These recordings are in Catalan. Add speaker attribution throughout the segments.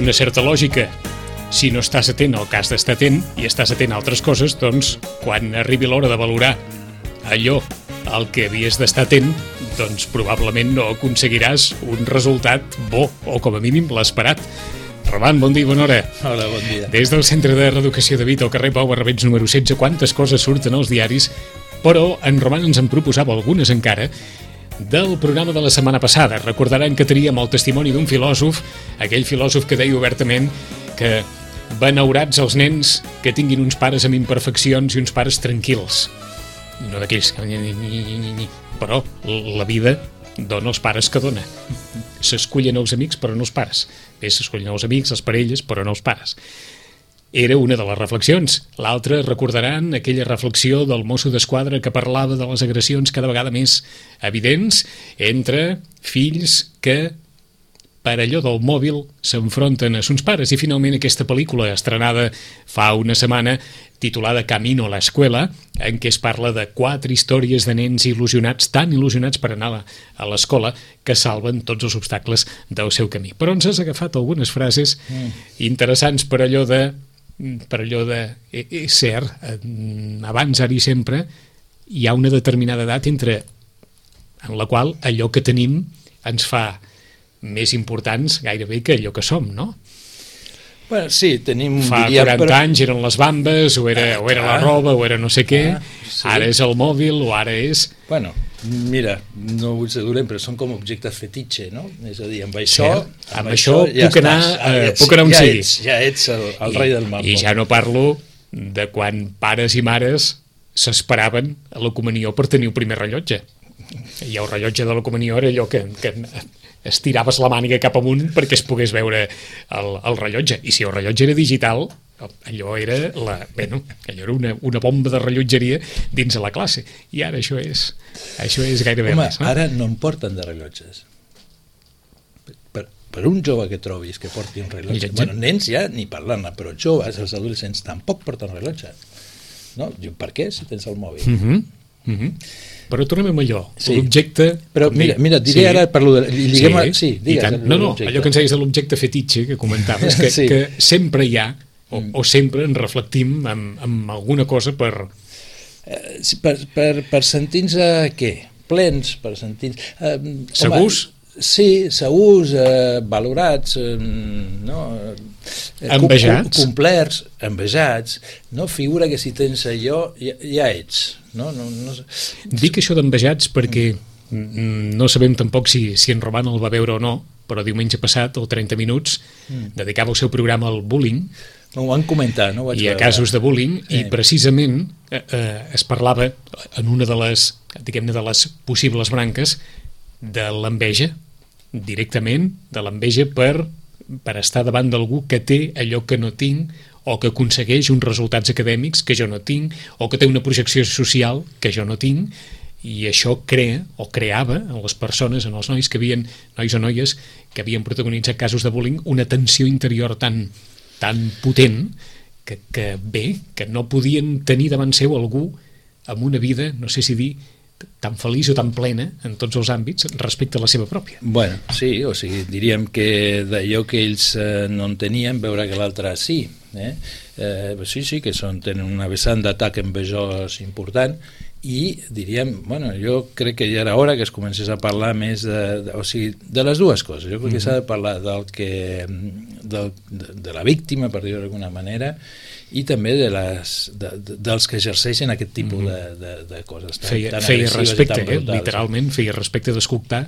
Speaker 1: una certa lògica. Si no estàs atent al que has d'estar atent i estàs atent a altres coses, doncs quan arribi l'hora de valorar allò al que havies d'estar atent, doncs probablement no aconseguiràs un resultat bo, o com a mínim l'esperat. Roman, bon dia i bona hora.
Speaker 2: Hola, bon dia.
Speaker 1: Des del Centre de Reeducació de Vita, al carrer Pau Barrabets número 16, quantes coses surten als diaris, però en Roman ens en proposava algunes encara del programa de la setmana passada. Recordaran que teníem el testimoni d'un filòsof, aquell filòsof que deia obertament que benaurats els nens que tinguin uns pares amb imperfeccions i uns pares tranquils. No d'aquells que... Però la vida dona els pares que dona. S'escullen els amics però no els pares. Bé, s'escullen els amics, les parelles, però no els pares. Era una de les reflexions. L'altra, recordaran aquella reflexió del mosso d'esquadra que parlava de les agressions cada vegada més evidents entre fills que per allò del mòbil s'enfronten a sus pares. I finalment aquesta pel·lícula estrenada fa una setmana titulada Camino a la escuela, en què es parla de 4 històries de nens il·lusionats, tan il·lusionats per anar a l'escola, que salven tots els obstacles del seu camí. Però ens has agafat algunes frases interessants per allò de és cert, abans, ara i sempre hi ha una determinada edat en la qual allò que tenim ens fa més importants gairebé que allò que som, no?
Speaker 2: Bueno, sí, tenim...
Speaker 1: Fa 40 anys eren les bambes, o era la roba, o era no sé què, sí. Ara és el mòbil, o ara és...
Speaker 2: Bueno, mira, no vull ser dolent, però són com objectes fetitxe, no? És a dir, amb això ja puc anar on sigui. Ja ets el rei del món.
Speaker 1: I ja no parlo de quan pares i mares s'esperaven a la comunió per tenir el primer rellotge. I el rellotge de la comunió era allò que estiraves la màniga cap amunt perquè es pogués veure el rellotge. I si el rellotge era digital, allò era una bomba de rellotgeria dins de la classe. I ara això és gairebé més. No?
Speaker 2: Ara no en porten de rellotges. Per un jove que trobis que porti un rellotge... Bueno, nens ja ni parlant, però joves, els adolescents, tampoc porten rellotge. No? Per què, si tens el mòbil?
Speaker 1: Però tornem amb allò, l'objecte...
Speaker 2: Però mira, diré ara per lo de... Digues.
Speaker 1: No, allò que ens deies de l'objecte fetitxe que comentaves, que sempre hi ha, o sempre ens reflectim amb alguna cosa per
Speaker 2: sentir-nos què? Plens, per sentir-nos...
Speaker 1: Segurs?
Speaker 2: Sí, segurs, valorats,
Speaker 1: envejats,
Speaker 2: complerts, envejats, no? Figura que si tens allò ja ets, no?
Speaker 1: Dic això d'envejats perquè no sabem tampoc si en Roman el va veure o no, però diumenge passat, o 30 minuts, dedicava el seu programa al bullying.
Speaker 2: Ho van comentar, no?
Speaker 1: I a casos de bullying, i precisament es parlava en una de les possibles branques de l'enveja, directament de l'enveja per estar davant d'algú que té allò que no tinc, o que aconsegueix uns resultats acadèmics que jo no tinc, o que té una projecció social que jo no tinc, i això creava en les persones, en els nois o noies que havien protagonitzat casos de bullying, una tensió interior tan potent que no podien tenir davant seu algú amb una vida, no sé si dir, tan feliç o tan plena en tots els àmbits respecte a la seva pròpia.
Speaker 2: Bueno, sí, o sigui, diríem que d'allò que ells no en tenien, veure que l'altre sí. Sí, que tenen una vessant d'atac envejós important, i diríem, bueno, jo crec que ja era hora que es comencés a parlar més de les dues coses. Jo crec que s'ha de parlar de la víctima, per dir-ho d'alguna manera, i també dels que exerceixen aquest tipus de coses.
Speaker 1: Feia respecte, literalment feia respecte d'escoltar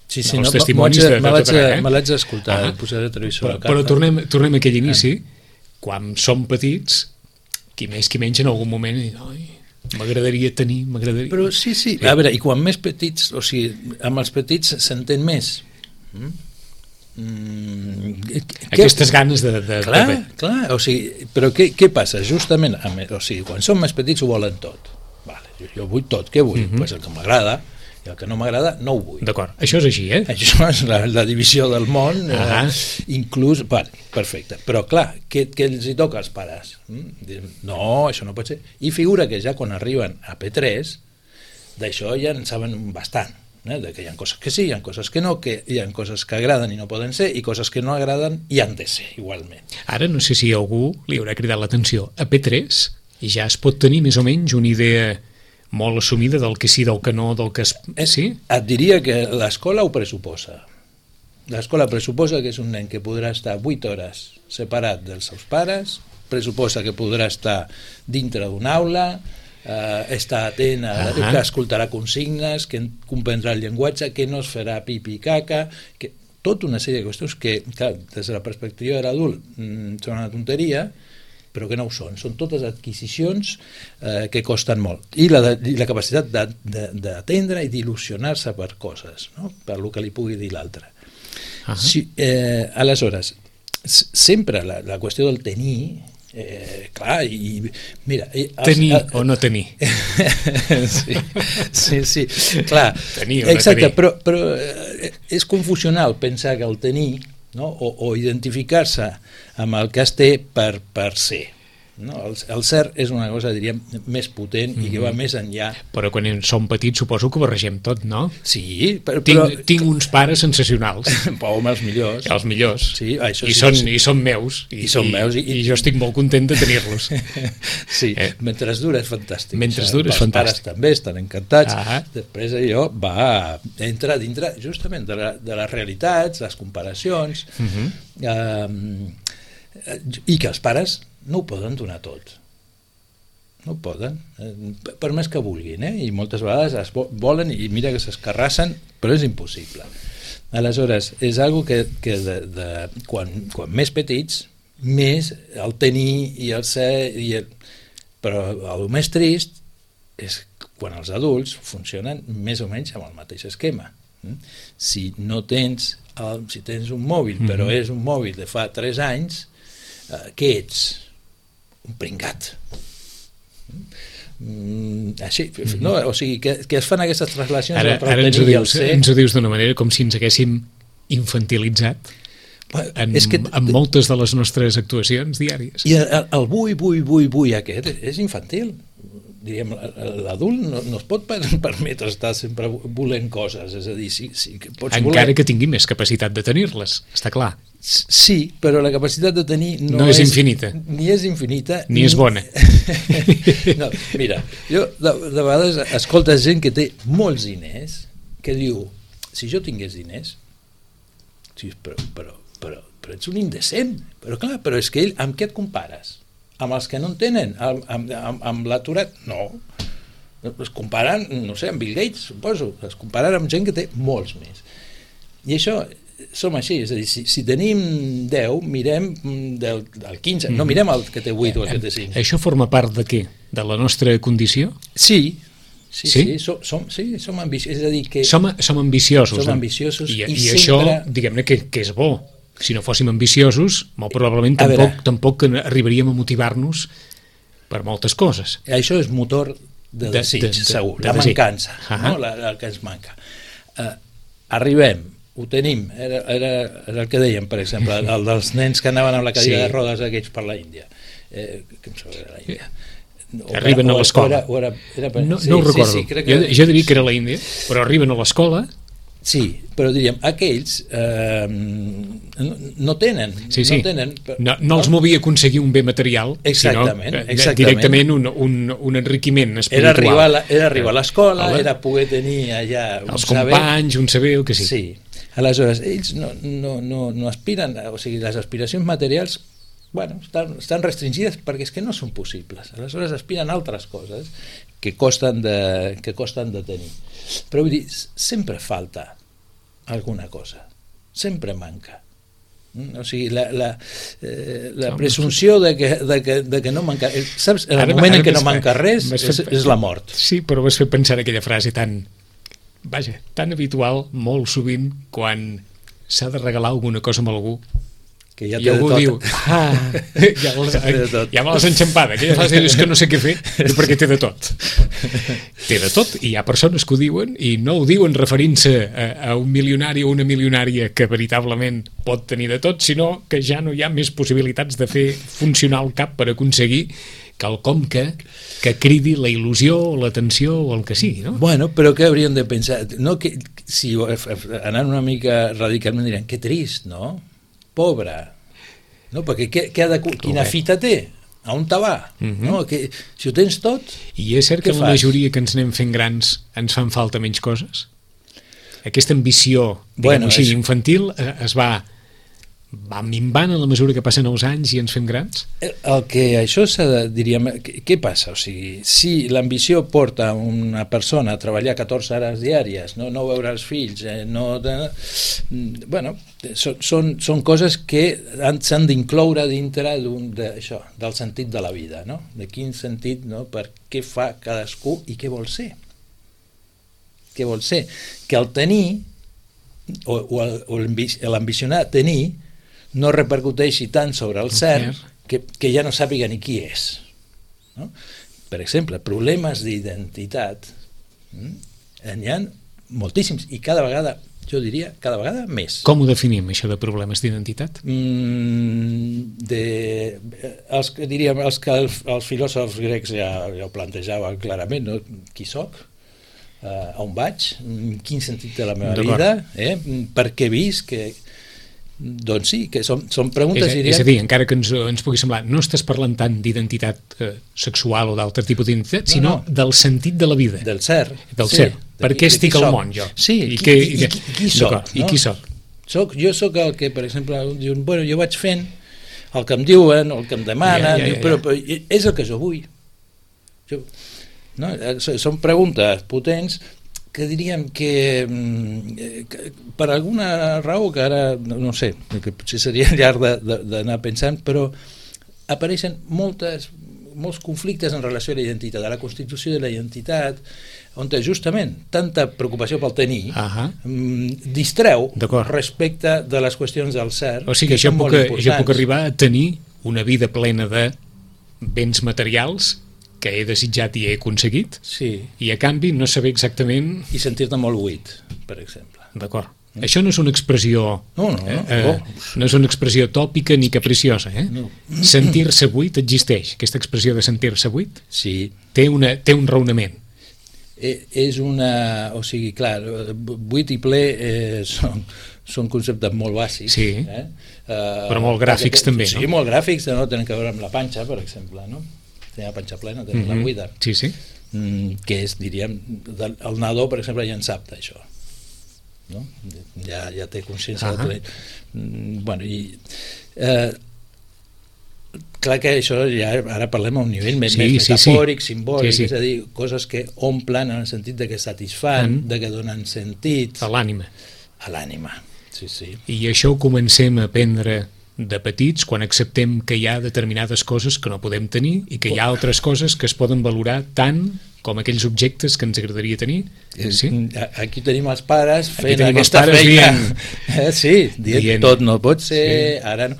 Speaker 1: els
Speaker 2: testimonis de tot arreu. Me l'haig d'escoltar, posaré el televisor a casa.
Speaker 1: Però tornem a aquell inici, quan som petits, qui més qui menys en algun moment m'agradaria tenir...
Speaker 2: Però sí, a veure, i quan més petits, o sigui, amb els petits s'entén més.
Speaker 1: Aquestes ganes de...
Speaker 2: Clar, o sigui, però què passa? Justament, o sigui, quan som més petits ho volen tot. Vale, jo vull tot, què vull? Pues el que m'agrada, i el que no m'agrada no ho vull.
Speaker 1: D'acord, això és així,
Speaker 2: Això és la divisió del món, inclús... Vale, perfecte, però clar, què els hi toca als pares? No, això no pot ser. I figura que ja quan arriben a P3, d'això ja en saben bastant. de que hi ha coses que sí, hi ha coses que no, que hi ha coses que agraden i no poden ser, i coses que no agraden i han de ser, igualment.
Speaker 1: Ara no sé si algú li haurà cridat l'atenció. A P3 ja es pot tenir més o menys una idea molt assumida del que sí, del que no, del que... Sí?
Speaker 2: Et diria que l'escola ho pressuposa. L'escola pressuposa que és un nen que podrà estar 8 hores separat dels seus pares, pressuposa que podrà estar dintre d'una aula, estar atent, que escoltarà consignes, que comprendrà el llenguatge, que no es farà pipi i caca, que tota una sèrie de qüestions que, clar, des de la perspectiva de l'adult són una tonteria, però que no ho són. Són totes adquisicions que costen molt. I la capacitat d'atendre i d'il·lusionar-se per coses, no? Per el que li pugui dir l'altre. Aleshores, sempre la qüestió del tenir, clar, i mira...
Speaker 1: Tenir o no tenir.
Speaker 2: Sí, clar.
Speaker 1: Tenir o no
Speaker 2: exacte,
Speaker 1: tenir.
Speaker 2: Però és confusional pensar que el tenir, no? o identificar-se amb el que es té per ser. No? El ser és una cosa, diríem, més potent i que va més enllà.
Speaker 1: Però quan som petits suposo que ho barregem tot, no?
Speaker 2: Sí, però...
Speaker 1: Tinc uns pares sensacionals.
Speaker 2: Home, els millors.
Speaker 1: Els millors.
Speaker 2: Sí, això
Speaker 1: I són meus.
Speaker 2: I són meus.
Speaker 1: I jo estic molt content de tenir-los.
Speaker 2: Sí, mentre dura és fantàstic.
Speaker 1: Mentre dura és
Speaker 2: fantàstic. Els pares també estan encantats. Després allò entra dintre justament de les realitats, les comparacions, i que els pares no ho poden donar tot. No ho poden, per més que vulguin, i moltes vegades es volen i mira que s'escarrassen, però és impossible. Aleshores, és algo que quan més petits, més el tenir i el ser, però el més trist és quan els adults funcionen més o menys amb el mateix esquema. Si tens un mòbil, però és un mòbil de fa 3 anys, què ets? Un pringat. Així, no? O sigui, que es fan aquestes translacions.
Speaker 1: Ara ens ho dius d'una manera com si ens haguéssim infantilitzat en moltes de les nostres actuacions diàries.
Speaker 2: I el vull aquest és infantil. Diríem, l'adult no es pot permetre estar sempre volent coses, és a dir,
Speaker 1: encara que tingui més capacitat de tenir-les, està clar.
Speaker 2: Sí, però la capacitat de tenir
Speaker 1: no és infinita.
Speaker 2: Ni és infinita.
Speaker 1: Ni és bona.
Speaker 2: No, mira, jo de vegades escoltes gent que té molts diners que diu, si jo tingués diners, sí, però ets un indecent. Però clar, però és que amb què et compares? Amb els que no en tenen? Amb l'aturat? No. Es comparen, no sé, amb Bill Gates, suposo. Es comparen amb gent que té molts més. I això som així, és a dir, si tenim 10, mirem del 15, no mirem el que té 8 o el que té 5.
Speaker 1: Això forma part de què? De la nostra condició?
Speaker 2: Sí, som ambiciosos. És a dir, que
Speaker 1: som ambiciosos.
Speaker 2: Som ambiciosos
Speaker 1: i això, diguem-ne, que és bo. Si no fóssim ambiciosos, molt probablement tampoc arribaríem a motivar-nos per moltes coses.
Speaker 2: Això és motor de desig, segur, la mancança, no? El que ens manca. Arribem, ho tenim, era el que dèiem, per exemple, el dels nens que anaven amb la cadira de rodes aquells per la Índia. Que em sembla que era la Índia.
Speaker 1: Arriben a l'escola. No ho recordo. Jo diria que era la Índia, però arriben a l'escola.
Speaker 2: Sí, però diríem, aquells no tenen.
Speaker 1: No els movia aconseguir un bé material, sinó directament un enriquiment espiritual.
Speaker 2: Era arribar a l'escola, era poder tenir allà
Speaker 1: els companys, un saber, el que sigui.
Speaker 2: Sí, aleshores, ells no aspiren, o sigui, les aspiracions materials estan restringides perquè és que no són possibles. Aleshores aspiren a altres coses que costen de tenir. Però vull dir, sempre falta alguna cosa, sempre manca. O sigui, la presumpció de que no manca, saps, en el moment en què no manca res és la mort.
Speaker 1: Sí, però vas fer pensar aquella frase tan habitual molt sovint quan s'ha de regalar alguna cosa a algú
Speaker 2: que ja
Speaker 1: i algú diu ja me l'has enxampada, aquella frase és que no sé què fer perquè té de tot, i hi ha persones que ho diuen i no ho diuen referint-se a un milionari o una milionària que veritablement pot tenir de tot, sinó que ja no hi ha més possibilitats de fer funcionar el cap per aconseguir quelcom que cridi la il·lusió o l'atenció o el que sigui, no?
Speaker 2: Bueno, però què hauríem de pensar? No, que, si anant una mica radicalment diran, que trist, no? Pobre. No? Perquè quina fita té? A on te va? No? Que, si ho tens tot,
Speaker 1: I és cert que la majoria que ens anem fent grans ens fan falta menys coses? Aquesta ambició, diguem-ho així, infantil es va minvant a la mesura que passen els anys i ens fem grans?
Speaker 2: El que això s'ha de, diríem, què passa? O sigui, si l'ambició porta una persona a treballar 14 hores diàries, no veure els fills, bueno, són coses que s'han d'incloure dintre del sentit de la vida, no? De quin sentit, no? Per què fa cadascú i què vol ser? Què vol ser? Que el tenir, o l'ambicionar tenir, no repercuteixi tant sobre el cert que ja no sàpiga ni qui és. No? Per exemple, problemes d'identitat n'hi ha moltíssims i cada vegada, jo diria, cada vegada més.
Speaker 1: Com ho definim, això de problemes d'identitat?
Speaker 2: Els filòsofs grecs ja ho plantejaven clarament, no? Qui soc? On vaig? Quin sentit té la meva vida? Per què visc? Doncs sí, que són preguntes...
Speaker 1: És a dir, encara que ens pugui semblar, no estàs parlant tant d'identitat sexual o d'altre tipus d'identitat, sinó del sentit de la vida.
Speaker 2: Del ser.
Speaker 1: Del ser. Per què estic al món, jo?
Speaker 2: Sí, i qui soc?
Speaker 1: I qui soc?
Speaker 2: Jo soc el que, per exemple, diuen, bueno, jo vaig fent el que em diuen, el que em demanen, però és el que jo vull. Són preguntes potents que diríem que per alguna raó que ara no sé, que potser seria llarg d'anar pensant, però apareixen molts conflictes en relació a la identitat, a la constitució de la identitat, on justament tanta preocupació pel tenir distreu respecte de les qüestions del cert.
Speaker 1: O sigui, jo puc arribar a tenir una vida plena de béns materials que he desitjat i he aconseguit, i a canvi no saber exactament...
Speaker 2: I sentir-te molt buit, per exemple.
Speaker 1: D'acord. Això no és una expressió... No és una expressió tòpica ni capriciosa, Sentir-se buit existeix. Aquesta expressió de sentir-se buit té un raonament.
Speaker 2: És una... O sigui, clar, buit i ple són conceptes molt bàsics.
Speaker 1: Sí, però molt gràfics també, no?
Speaker 2: Sí, molt gràfics, no tenen a veure amb la panxa, per exemple, no? Tenen la panxa plena, tenen la buida.
Speaker 1: Sí.
Speaker 2: Que és, diríem, el nadó, per exemple, ja en sap d'això. No? Ja té consciència de tot. Bueno, i... clar que això ja ara parlem a un nivell més metafòric, simbòlic, és a dir, coses que omplen en el sentit de que satisfan, de que donen sentit
Speaker 1: a l'ànima.
Speaker 2: A l'ànima, sí.
Speaker 1: I això ho comencem a aprendre de petits, quan acceptem que hi ha determinades coses que no podem tenir i que hi ha altres coses que es poden valorar tant com aquells objectes que ens agradaria tenir.
Speaker 2: Aquí tenim els pares fent aquesta feina. Dient tot no pot ser, ara no.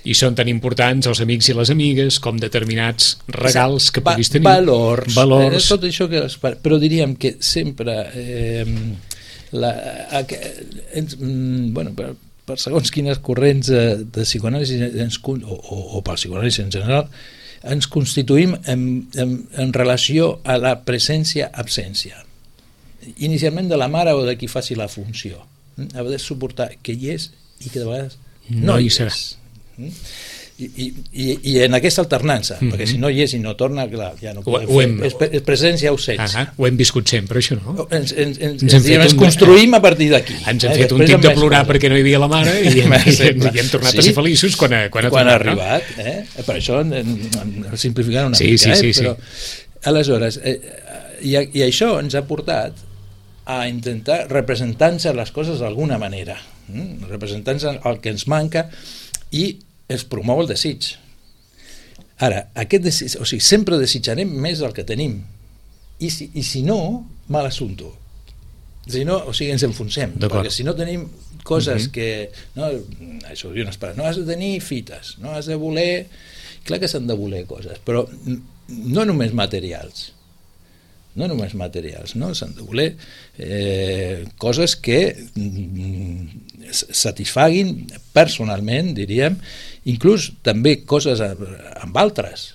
Speaker 1: I són tan importants els amics i les amigues com determinats regals que puguis tenir.
Speaker 2: Valors. Tot això que... Però diríem que sempre... per segons quines corrents de psicoanàlisi o pel psicoanàlisi en general, ens constituïm en relació a la presència-absència. Inicialment de la mare o de qui faci la funció. Ha de suportar que hi és i que de vegades no hi serà. I en aquesta alternança, perquè si no hi és i no torna, clar, ja no podem fer, és presència ausència.
Speaker 1: Ho hem viscut sempre, això, no?
Speaker 2: Ens construïm a partir d'aquí.
Speaker 1: Ens hem fet un tip de plorar perquè no hi havia la mare i hem tornat a ser feliços quan ha
Speaker 2: arribat. Per això, simplificant una mica, però aleshores, i això ens ha portat a intentar representar-nos les coses d'alguna manera, representar-nos el que ens manca, i es promou el desig. Ara, o sigui, sempre desitjarem més del que tenim, i si no, mal assumpto. Si no, o sigui, ens enfonsem, perquè si no tenim coses que... Això ho diuen els pares, no has de tenir fites, no has de voler... Clar que s'han de voler coses, però no només materials, s'han de voler coses que satisfaguin personalment, diríem, inclús també coses amb altres,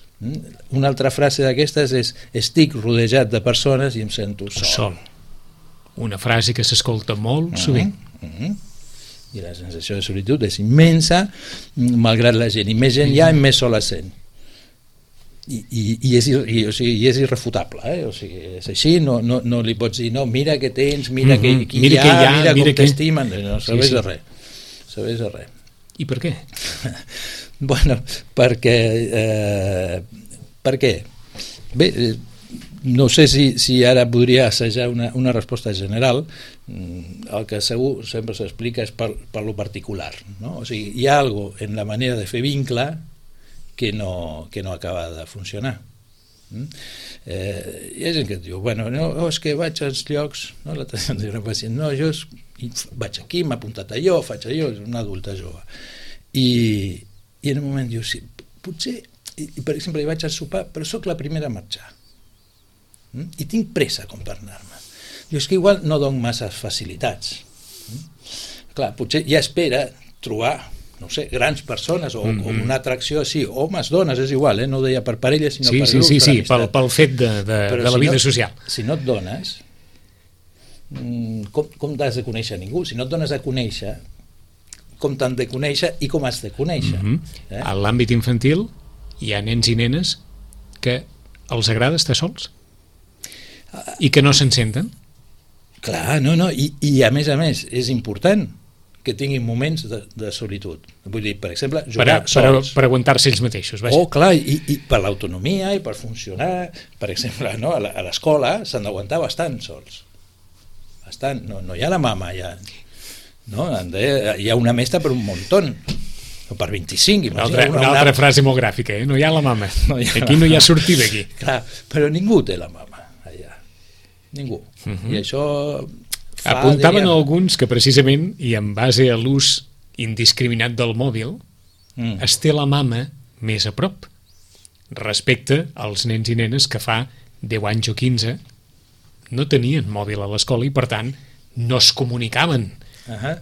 Speaker 2: Una altra frase d'aquestes és: estic rodejat de persones i em sento sol.
Speaker 1: Una frase que s'escolta molt sovint.
Speaker 2: I la sensació de solitud és immensa, malgrat la gent. I més gent hi ha, més sol es sent. I és irrefutable, o sigui, és així, no li pots dir, no, mira què tens, mira qui hi ha, mira com t'estimen, no serveix de res.
Speaker 1: I per què?
Speaker 2: Bueno, perquè per què? Bé, no sé si ara podria assajar una resposta general. El que segur sempre s'explica és per lo particular, no? O sigui, hi ha alguna cosa en la manera de fer vincle que no acaba de funcionar. Hi ha gent que et diu, bueno, no, és que vaig als llocs, no, l'altre dia diu una pacient, no, jo vaig aquí, m'ha apuntat allò, faig allò, és una adulta jove. I en un moment diu, sí, potser, per exemple, hi vaig al sopar, però sóc la primera a marxar. I tinc pressa com per anar-me. Diu, és que igual no dono massa facilitats. Clar, potser ja espera trobar, no sé, grans persones o una atracció així, homes, dones, és igual, no ho deia per parelles, sinó per grups, per amistat.
Speaker 1: Pel fet de la vida social.
Speaker 2: Si no et dones, com t'has de conèixer ningú? Si no et dones a conèixer, com t'han de conèixer i com has de conèixer.
Speaker 1: A l'àmbit infantil hi ha nens i nenes que els agrada estar sols i que no se'n senten.
Speaker 2: Clar, no, i a més, és important que tinguin moments de solitud. Vull dir, per exemple, jugar sols.
Speaker 1: Per aguantar-se ells mateixos. Vaja.
Speaker 2: Clar, i per l'autonomia i per funcionar. Per exemple, no, a l'escola s'han d'aguantar bastant sols. Bastant. No hi ha la mama, ja. No? Hi ha una mestra per un muntó. O per 25.
Speaker 1: Una altra frase molt gràfica, no hi ha la mama. Aquí no hi ha sortida, aquí.
Speaker 2: Clar, però ningú té la mama, allà. Ningú. I això...
Speaker 1: Apuntaven alguns que precisament, i en base a l'ús indiscriminat del mòbil, es té la mama més a prop respecte als nens i nenes que fa 10 anys o 15 no tenien mòbil a l'escola i per tant no es comunicaven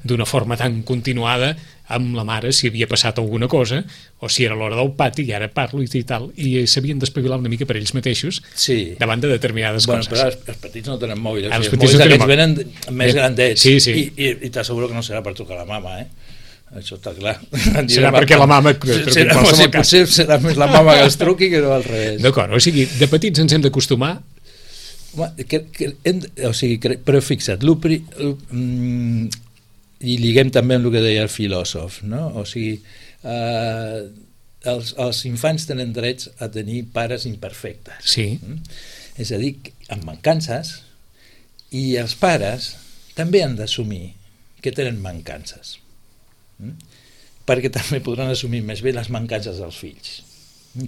Speaker 1: d'una forma tan continuada amb la mare si havia passat alguna cosa o si era l'hora del pati i ara parlo i tal, i s'havien d'espavilar una mica per ells mateixos davant de determinades coses.
Speaker 2: Però els petits no tenen mòbil, els mòbils aquests venen més grandets i t'asseguro que no serà per trucar a la mama, això està clar.
Speaker 1: Serà perquè la mama
Speaker 2: potser serà més la mama que els truqui que no al revés.
Speaker 1: D'acord, o sigui, de petits ens hem d'acostumar.
Speaker 2: Però fixa't, i liguem també amb el que deia el filòsof, no? O sigui, els infants tenen drets a tenir pares imperfectes.
Speaker 1: Sí.
Speaker 2: És a dir, amb mancances, i els pares també han d'assumir que tenen mancances. Perquè també podran assumir més bé les mancances dels fills.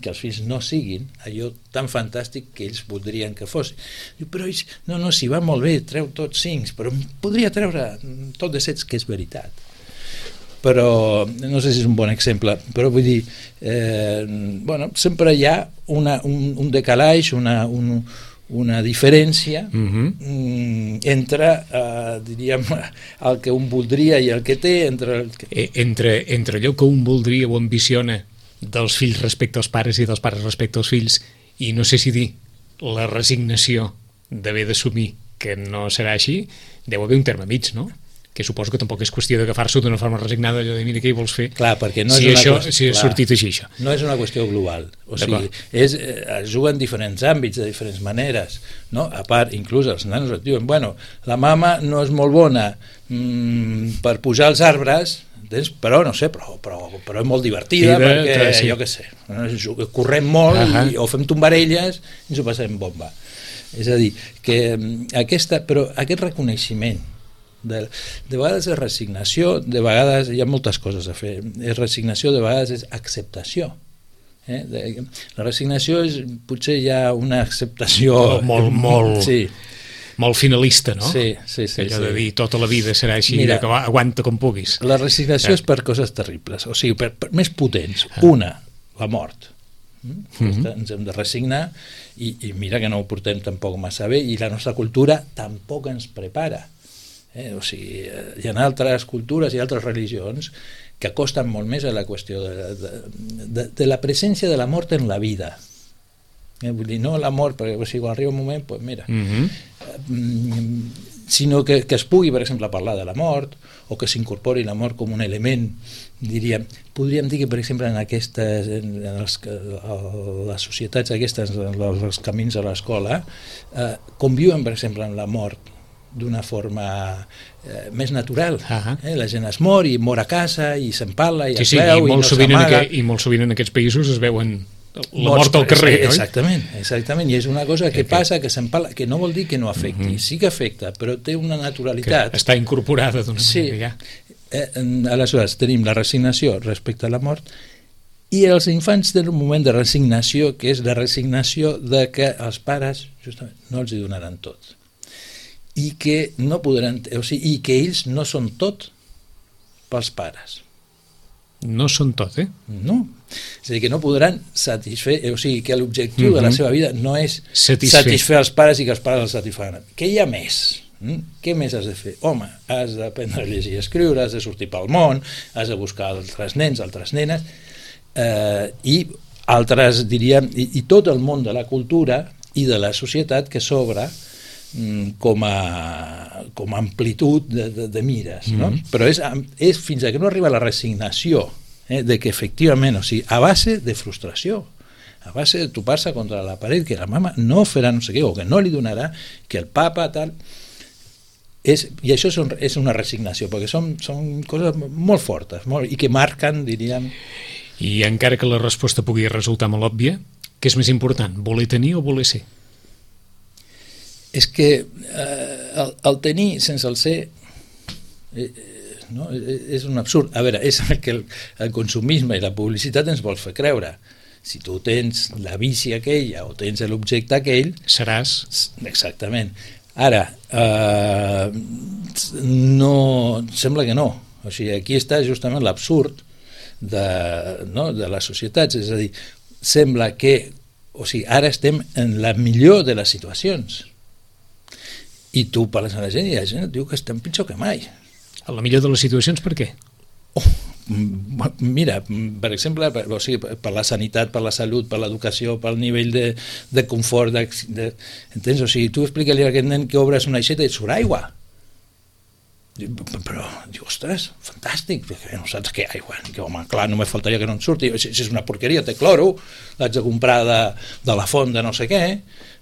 Speaker 2: Que els fills no siguin allò tan fantàstic que ells voldrien que fos. Però ells, no, si va molt bé, treu tots 5, però podria treure tot de 7, que és veritat. Però, no sé si és un bon exemple, però vull dir, sempre hi ha un decalatge, una diferència entre, diríem, el que un voldria i el que té,
Speaker 1: entre allò que un voldria o ambiciona dels fills respecte als pares i dels pares respecte als fills, i no sé si dir la resignació d'haver d'assumir que no serà així, deu haver un terme mig, no? Que suposo que tampoc és qüestió d'agafar-s'ho d'una forma resignada, allò de mira què hi vols fer.
Speaker 2: Clar, perquè no
Speaker 1: si ha sortit així, això.
Speaker 2: No és una qüestió global, o sigui, es juga en diferents àmbits, de diferents maneres, no? A part, inclús els nanos et diuen, bueno, la mama no és molt bona per pujar als arbres, però no sé, però és molt divertida perquè, jo què sé, correm molt o fem tombarelles i ens ho passem bomba. És a dir, que aquest reconeixement de vegades és resignació, de vegades hi ha moltes coses a fer, és resignació, de vegades és acceptació. La resignació és potser ja una acceptació molt
Speaker 1: finalista, no?
Speaker 2: Sí.
Speaker 1: Allò de dir tota la vida serà així, mira, que aguanta com puguis.
Speaker 2: La resignació és per coses terribles, o sigui, per més potents. Una, la mort. Ens hem de resignar i mira que no ho portem tampoc massa bé i la nostra cultura tampoc ens prepara. O sigui, hi ha altres cultures i altres religions que acosten molt més a la qüestió de la presència de la mort en la vida. Vull dir, no la mort, perquè si quan arriba un moment, doncs mira, sinó que es pugui, per exemple, parlar de la mort, o que s'incorpori la mort com un element, podríem dir que, per exemple, en les societats aquestes, els camins a l'escola, conviuen, per exemple, amb la mort d'una forma més natural. La gent es mor i mor a casa i se'n parla i es veu i no s'amaga.
Speaker 1: I molt sovint en aquests països es veuen la mort al carrer, oi?
Speaker 2: Exactament, i és una cosa que passa, que se'n parla, que no vol dir que no afecti, sí que afecta, però té una naturalitat.
Speaker 1: Que està incorporada d'una manera, ja.
Speaker 2: Aleshores, tenim la resignació respecte a la mort i els infants tenen un moment de resignació, que és la resignació de que els pares justament no els hi donaran tot i que no podran, o sigui, i que ells no són tot pels pares.
Speaker 1: No són tot,
Speaker 2: No. És a dir, que no podran satisfer, o sigui, que l'objectiu de la seva vida no és satisfer els pares i que els pares els satisfaran. Que hi ha més. Què més has de fer? Home, has d'aprendre a llegir i escriure, has de sortir pel món, has de buscar altres nens, altres nenes, i altres, diríem, i tot el món de la cultura i de la societat que s'obre com a amplitud de mires, no? Però és fins a que no arriba la resignació de que efectivament, o sigui, a base de frustració, a base de topar-se contra la paret, que la mama no farà no sé què, o que no li donarà, que el papa tal, i això és una resignació, perquè són coses molt fortes i que marquen, diríem.
Speaker 1: I encara que la resposta pugui resultar molt òbvia, què és més important, voler tenir o voler ser?
Speaker 2: És que el tenir sense el ser és un absurd. A veure, és el que el consumisme i la publicitat ens vol fer creure. Si tu tens la bici aquella o tens l'objecte aquell...
Speaker 1: Seràs.
Speaker 2: Exactament. Ara, no, sembla que no. O sigui, aquí està justament l'absurd de les societats. És a dir, sembla que ara estem en la millor de les situacions. I tu parles amb la gent i la gent et diu que estem pitjor que mai.
Speaker 1: A la millor de les situacions, per què?
Speaker 2: Mira, per exemple, per la sanitat, per la salut, per l'educació, pel nivell de confort, entens? O sigui, tu explica-li a aquest nen que obres una aixeta i surt aigua. Però, diu, ostres, fantàstic, no saps què aigua? Home, clar, no me faltaria que no en surti. Si és una porqueria, té cloro, l'haig de comprar de la font de no sé què,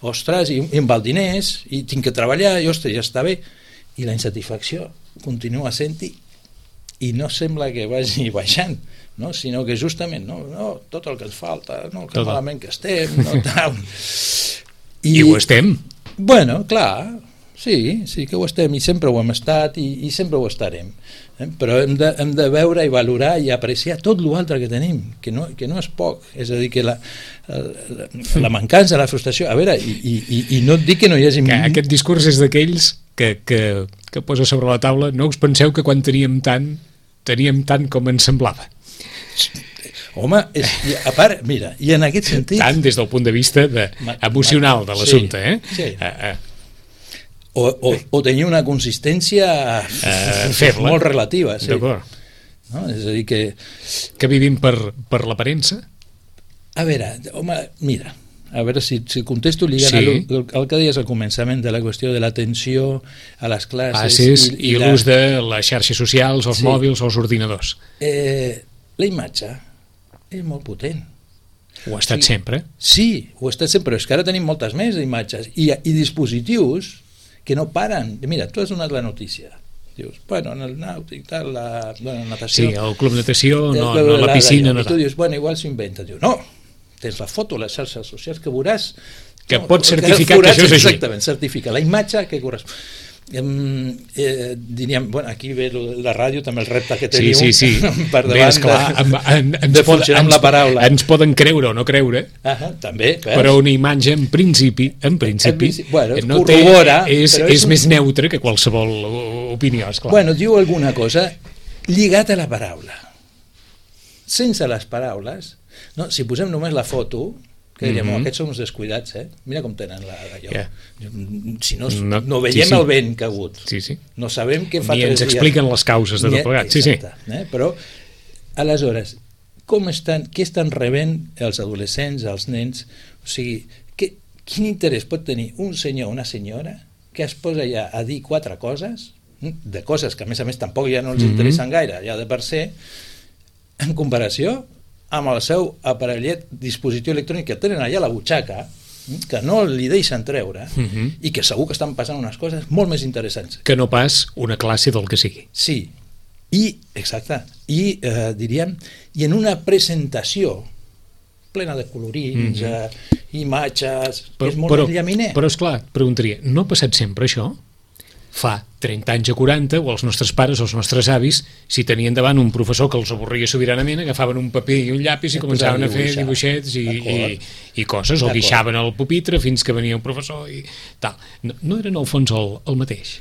Speaker 2: ostres, i em val diners, i tinc que treballar, i ostres, ja està bé. I la insatisfacció continua sent-hi i no sembla que vagi baixant, no? Sinó que justament tot el que ens falta, que malament que estem, tal.
Speaker 1: I ho estem.
Speaker 2: Bueno, clar, sí que ho estem i sempre ho hem estat i sempre ho estarem, però hem de veure i valorar i apreciar tot l'altre que tenim, que no és poc. És a dir, que la mancança, la frustració, a veure, i no et dic que no hi hagi...
Speaker 1: Aquest discurs és d'aquells que posa sobre la taula, no us penseu que quan teníem tant com ens semblava.
Speaker 2: Home, a part, mira, i en aquest sentit...
Speaker 1: Tant des del punt de vista emocional de l'assumpte,
Speaker 2: Sí. O tenir una consistència
Speaker 1: feble,
Speaker 2: molt relativa. Sí.
Speaker 1: D'acord.
Speaker 2: No? És a dir que...
Speaker 1: Que vivim per l'aparença?
Speaker 2: A veure, home, mira, a veure si contesto lligant el que deies al començament de la qüestió de l'atenció a les classes
Speaker 1: i l'ús de les xarxes socials, els mòbils o els ordinadors.
Speaker 2: La imatge és molt potent.
Speaker 1: Ho ha estat sempre?
Speaker 2: Sí, ho ha estat sempre, però és que ara tenim moltes més imatges i dispositius que no paren. Mira, tu has donat la notícia. Dius, bueno, en el nàutic, tal, la natació...
Speaker 1: Sí, el club natació, la piscina...
Speaker 2: I tu dius, bueno, igual s'ho inventa. Diu, no, tens la foto a les xarxes socials que veuràs...
Speaker 1: Que pots certificar que això és així.
Speaker 2: Exactament, certifica la imatge que correspon. Diríem, bueno, aquí ve la ràdio, també el repte que teniu per davant de funcionar amb la paraula.
Speaker 1: Ens poden creure o no creure,
Speaker 2: també,
Speaker 1: però una imatge en principi
Speaker 2: no corrobora,
Speaker 1: és més neutre que qualsevol opinió, esclar.
Speaker 2: Bueno, diu alguna cosa lligat a la paraula. Sense les paraules, si posem només la foto, que diríem, aquests són uns descuidats, mira com tenen allò. Si no veiem el vent que ha hagut, no sabem què fa 3 dies.
Speaker 1: Ni ens expliquen les causes de tot plegat.
Speaker 2: Però, aleshores, què estan rebent els adolescents, els nens, o sigui, quin interès pot tenir un senyor o una senyora que es posa ja a dir 4 coses, de coses que a més tampoc ja no els interessen gaire, ja de per ser, en comparació amb el seu aparellet, dispositiu electrònic que tenen allà a la butxaca, que no li deixen treure, i que segur que estan passant unes coses molt més interessants.
Speaker 1: Que no pas una classe del que sigui.
Speaker 2: Sí, exacte, i diríem, i en una presentació plena de colorins, imatges, és molt llaminer.
Speaker 1: Però esclar, preguntaria, no ha passat sempre això? Fa 30 anys o 40, o els nostres pares o els nostres avis, si tenien davant un professor que els avorria sobiranament, agafaven un paper i un llapis i començaven a fer dibuixets i coses, o guixaven el pupitre fins que venia un professor i tal. No eren al fons el mateix?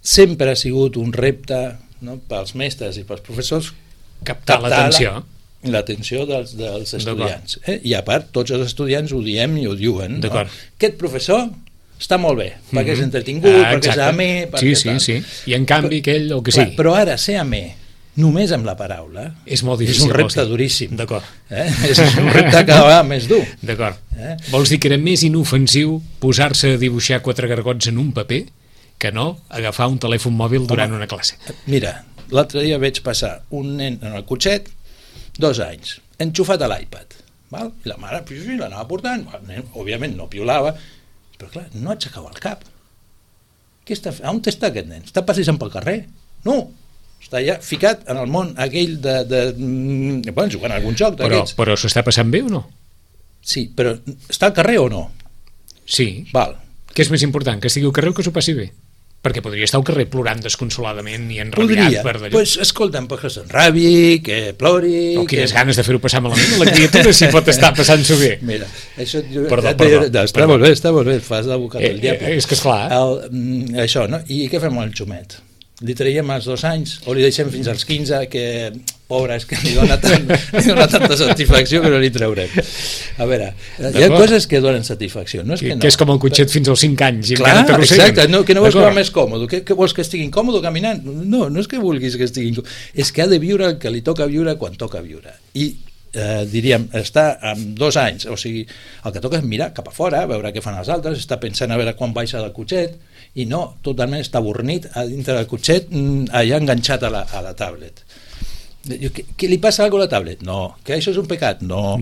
Speaker 2: Sempre ha sigut un repte, no, pels mestres i pels professors
Speaker 1: captar
Speaker 2: l'atenció dels estudiants. I a part, tots els estudiants ho diem i ho diuen. Aquest professor està molt bé, perquè és entretingut, perquè és amè, perquè tal.
Speaker 1: Sí. I en canvi aquell, el que sigui.
Speaker 2: Però ara ser amè, només amb la paraula,
Speaker 1: és molt difícil.
Speaker 2: És un repte duríssim.
Speaker 1: D'acord.
Speaker 2: És un repte cada vegada més dur.
Speaker 1: D'acord. Vols dir que era més inofensiu posar-se a dibuixar 4 gargots en un paper que no agafar un telèfon mòbil durant una classe?
Speaker 2: Mira, l'altre dia vaig passar un nen en el cotxet, 2 anys, enxufat a l'iPad, i la mare l'anava portant, òbviament no piolava, però clar, no aixecava el cap. On està aquest nen? Està passejant pel carrer? No, està ja ficat en el món aquell jugant a algun joc d'aquests.
Speaker 1: Però s'ho està passant bé o no?
Speaker 2: Sí, però està al carrer o no?
Speaker 1: Sí.
Speaker 2: Val.
Speaker 1: Què és més important, que estigui al carrer o que s'ho passi bé? Perquè podria estar al carrer plorant desconsoladament i enrabiat per d'allò.
Speaker 2: Doncs escolta'm, que s'enrabi, que plori...
Speaker 1: O quines ganes de fer-ho passar malament a la criatura si pot estar passant-s'ho bé.
Speaker 2: Mira, això...
Speaker 1: Perdó.
Speaker 2: Està molt bé, fas d'advocat del diable.
Speaker 1: És que esclar.
Speaker 2: Això, no? I què fem amb el xumet? Li traiem als 2 anys o li deixem fins als 15, que pobre, és que li dona tanta satisfacció que no li traurem. A veure, hi ha coses que donen satisfacció, no és que no.
Speaker 1: Que és com el cotxet fins als 5 anys.
Speaker 2: Clar, exacte, que no vols que va més còmode, que vols que estigui incòmode caminant? No és que vulguis que estigui incòmode, és que ha de viure el que li toca viure quan toca viure. I diríem, està amb 2 anys, o sigui, el que toca és mirar cap a fora, veure què fan els altres, està pensant a veure quan baixa del cotxet, i no, totalment està avornit a dintre del cotxet, allà enganxat a la tablet. Que li passa alguna cosa a la tablet? No. Que això és un pecat? No.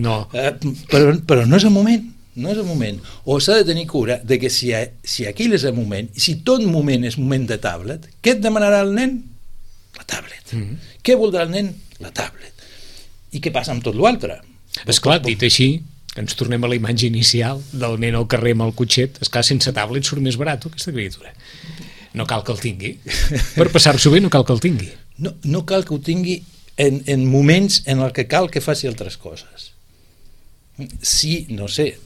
Speaker 2: Però no és el moment. No és el moment. O s'ha de tenir cura de que si aquell és el moment, i si tot moment és moment de tablet, què et demanarà el nen? La tablet. Què voldrà el nen? La tablet. I què passa amb tot l'altre?
Speaker 1: Esclar, dit així, ens tornem a la imatge inicial del nen al carrer amb el cotxet. Esclar, sense tablet surt més barat aquesta criatura. No cal que el tingui. Per passar-s'ho bé no cal que el tingui.
Speaker 2: No cal que ho tingui en moments en el que cal que faci altres coses. Sí, no sé,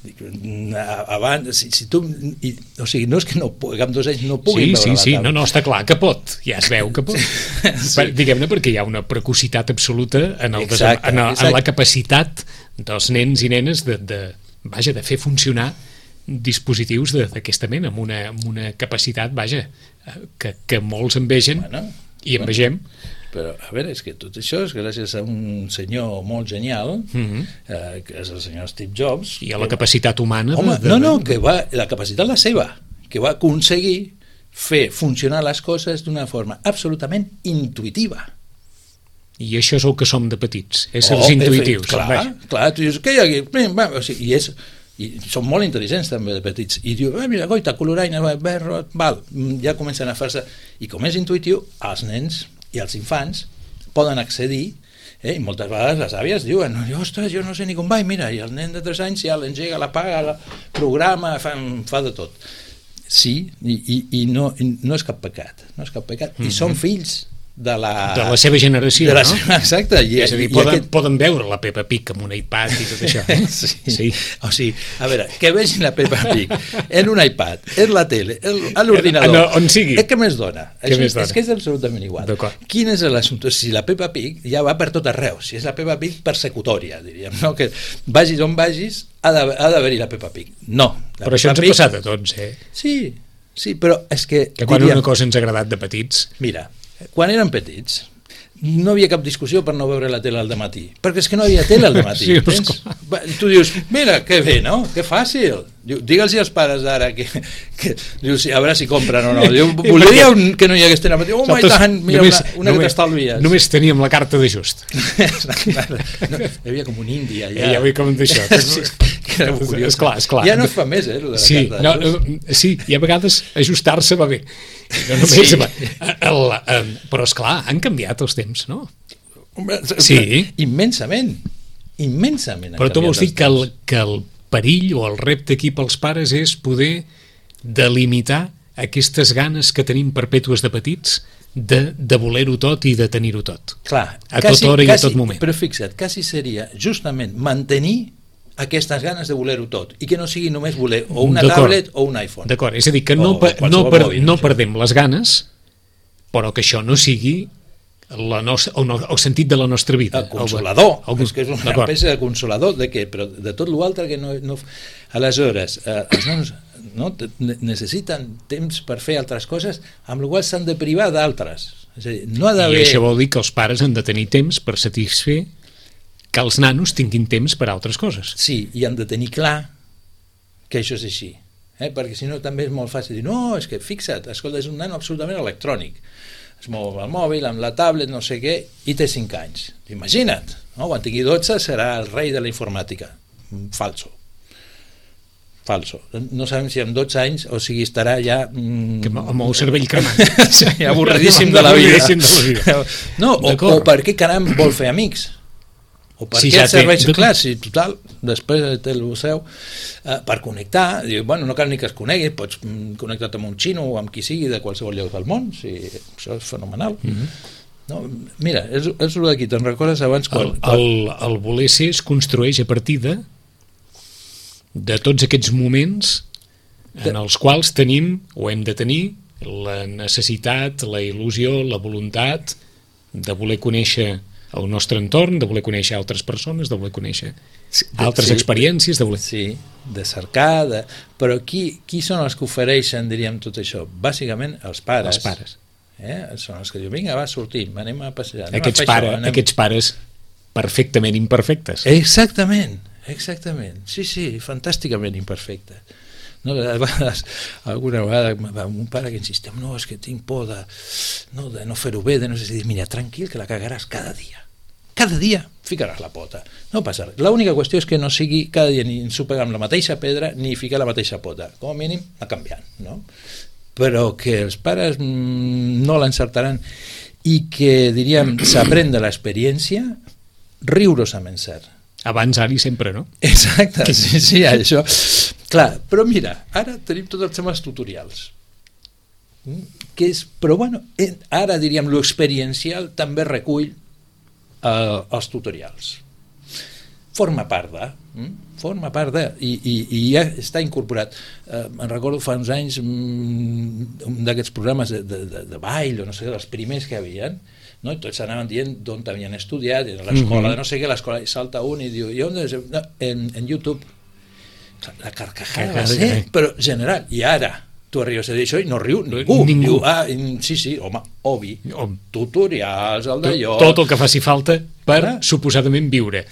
Speaker 2: abans, si tu, o sigui, no és que amb 2 anys no puguin veure la tablet.
Speaker 1: No, està clar que pot, ja es veu que pot. Diguem-ne perquè hi ha una precocitat absoluta en la capacitat dels nens i nenes de fer funcionar dispositius d'aquesta mena, amb una capacitat, que molts envegen i envegem.
Speaker 2: Però, a veure, és que tot això és gràcies a un senyor molt genial, que és el senyor Steve Jobs.
Speaker 1: I a la capacitat humana.
Speaker 2: Que la capacitat la seva, que va aconseguir fer funcionar les coses d'una forma absolutament intuïtiva.
Speaker 1: I això és el que som de petits, éssers intuïtius.
Speaker 2: Clar, tu dius, què hi ha aquí? I són molt intel·ligents també de petits, i diu, mira, goita, coloraina, verd, ja comencen a fer-se, i com és intuïtiu, els nens i els infants poden accedir, i moltes vegades les àvies diuen, ostres, jo no sé ni com va, i mira, i el nen de 3 anys ja l'engega, l'apaga, programa, fa de tot. Sí, i no és cap pecat, i són fills de la
Speaker 1: seva generació, no?
Speaker 2: Exacte.
Speaker 1: És a dir, poden veure la Peppa Pig amb un iPad i tot això.
Speaker 2: Sí. O sigui, a veure, que vegin la Peppa Pig en un iPad, en la tele, a l'ordinador,
Speaker 1: on sigui.
Speaker 2: Què més dona? És que és absolutament igual. Quin és l'assumpte? Si la Peppa Pig ja va per tot arreu, si és la Peppa Pig persecutòria, diríem, no? Que vagis on vagis, ha d'haver-hi la Peppa Pig. No.
Speaker 1: Però això ens ha passat a tots,
Speaker 2: Sí, però és que...
Speaker 1: Que quan una cosa ens ha agradat de petits...
Speaker 2: Mira, quan eren petits, no havia cap discussió per no veure la tele al dematí, perquè és que no havia tele al dematí.
Speaker 1: Sí,
Speaker 2: tu dius, mira, que bé, no? Que fàcil. Digue'ls als pares d'ara que dius, a veure si compren o no. Diu, volia que no hi hagués tele al dematí. Oh my God, mira, una que t'estalvies.
Speaker 1: Només teníem la carta d'ajust.
Speaker 2: No, hi havia com un indi allà.
Speaker 1: Hi havia com d'això.
Speaker 2: Que era curiós.
Speaker 1: Esclar.
Speaker 2: Ja no es fa més, de la carta d'ajust.
Speaker 1: Sí, i a vegades ajustar-se va bé. No només, sí. Però esclar, han canviat els temps, no?
Speaker 2: Sí. Immensament.
Speaker 1: Però tu vols dir que el perill o el repte aquí pels pares és poder delimitar aquestes ganes que tenim perpètues de petits de voler-ho tot i de tenir-ho tot.
Speaker 2: Clar,
Speaker 1: a tota hora i a tot moment.
Speaker 2: Però fixa't, quasi seria justament mantenir aquestes ganes de voler-ho tot i que no sigui només voler o una tablet o un iPhone.
Speaker 1: D'acord, és a dir, que no perdem les ganes, però que això no sigui el sentit de la nostra vida.
Speaker 2: El consolador, és que és una espècie de consolador de què? Però de tot l'altre que no... Aleshores, els nanos necessiten temps per fer altres coses, amb la qual s'han de privar d'altres. És a dir, no ha d'haver...
Speaker 1: I això vol dir que els pares han de tenir temps per satisfer que els nanos tinguin temps per a altres coses.
Speaker 2: Sí, i han de tenir clar que això és així. Perquè si no també és molt fàcil dir, no, és que fixa't, escolta, és un nano absolutament electrònic. Es mou amb el mòbil, amb la tablet, no sé què, i té 5 anys. Imagina't, no? Quan tingui 12 serà el rei de la informàtica. Falso. No sabem si amb 12 anys, o sigui, estarà ja...
Speaker 1: amb el cervell cremat.
Speaker 2: Sí, avorridíssim de la vida. No, o per què caram vol fer amics? O per què serveix? Clar, si total, després té el seu per connectar, diu, bueno, no cal ni que es conegui, pots connectar-te amb un xino o amb qui sigui de qualsevol lloc del món, això és fenomenal. No, mira, és el d'aquí, te'n recordes abans quan...
Speaker 1: El voler ser es construeix a partir de tots aquests moments en els quals tenim o hem de tenir la necessitat, la il·lusió, la voluntat de voler conèixer el nostre entorn, de voler conèixer altres persones, de voler conèixer altres experiències, de voler...
Speaker 2: Sí, de cercar, però qui són els que ofereixen, diríem, tot això? Bàsicament els pares.
Speaker 1: Els pares.
Speaker 2: Són els que diuen, vinga, va, sortim, anem a passejar.
Speaker 1: Aquests pares perfectament imperfectes.
Speaker 2: Exactament, sí, fantàsticament imperfectes. No, a vegades, alguna vegada un pare que insistia, no, és que tinc por de no fer-ho bé, de no sé si dir, mira, tranquil, que la cagaràs cada dia ficaràs la pota, no passa res. L'única qüestió és que no sigui cada dia ni ensopegar amb la mateixa pedra ni ficar la mateixa pota, com a mínim anar canviant, no? Però que els pares no l'encertaran i que, diríem, s'aprèn de l'experiència rigorosament cert.
Speaker 1: Abans, ara i sempre, no?
Speaker 2: Exacte, sí, això. Clar, però mira, ara tenim tots els temes tutorials. Però bueno, ara diríem l'experiencial també recull els tutorials. Forma part i ja està incorporat. Me'n recordo fa uns anys un d'aquests programes de ball o no sé, dels primers que hi havia, no? I tots anaven dient d'on havien estudiat, en l'escola de no sé què, l'escola, i salta un i diu, i on és? No, en YouTube. La carcajada va ser, però general. I ara tu arribes a dir això i no riu ningú. Diu, sí, home, obvi. Tutorials, el d'allò...
Speaker 1: Tot el que faci falta per suposadament viure.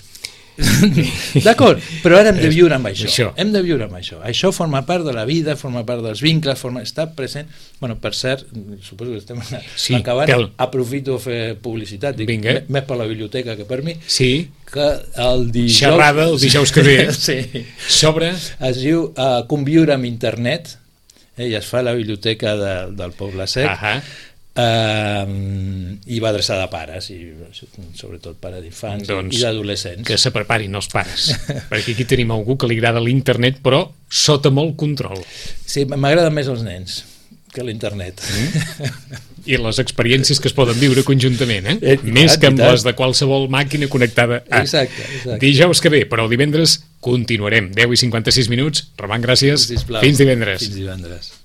Speaker 2: D'acord, però ara hem de viure amb això. Hem de viure amb això. Això forma part de la vida, forma part dels vincles, està present. Bueno, per cert, suposo que estem acabant, aprofito a fer publicitat, més per la biblioteca que per mi, que el dijous...
Speaker 1: Xerrada el dijous que ve,
Speaker 2: sobre... Es diu Conviure amb internet, i es fa a la biblioteca del Poble Sec, i va adreçada a pares i sobretot pares d'infants i d'adolescents.
Speaker 1: Que se preparin els pares perquè aquí tenim algú que li agrada l'internet però sota molt control.
Speaker 2: Sí, m'agraden més els nens que l'internet
Speaker 1: i les experiències que es poden viure conjuntament, més que amb les de qualsevol màquina connectada.
Speaker 2: Exacte.
Speaker 1: Dijous que ve, però el divendres continuarem. 10:56. Roman, gràcies.
Speaker 2: Sisplau.
Speaker 1: Fins divendres.
Speaker 2: Fins divendres.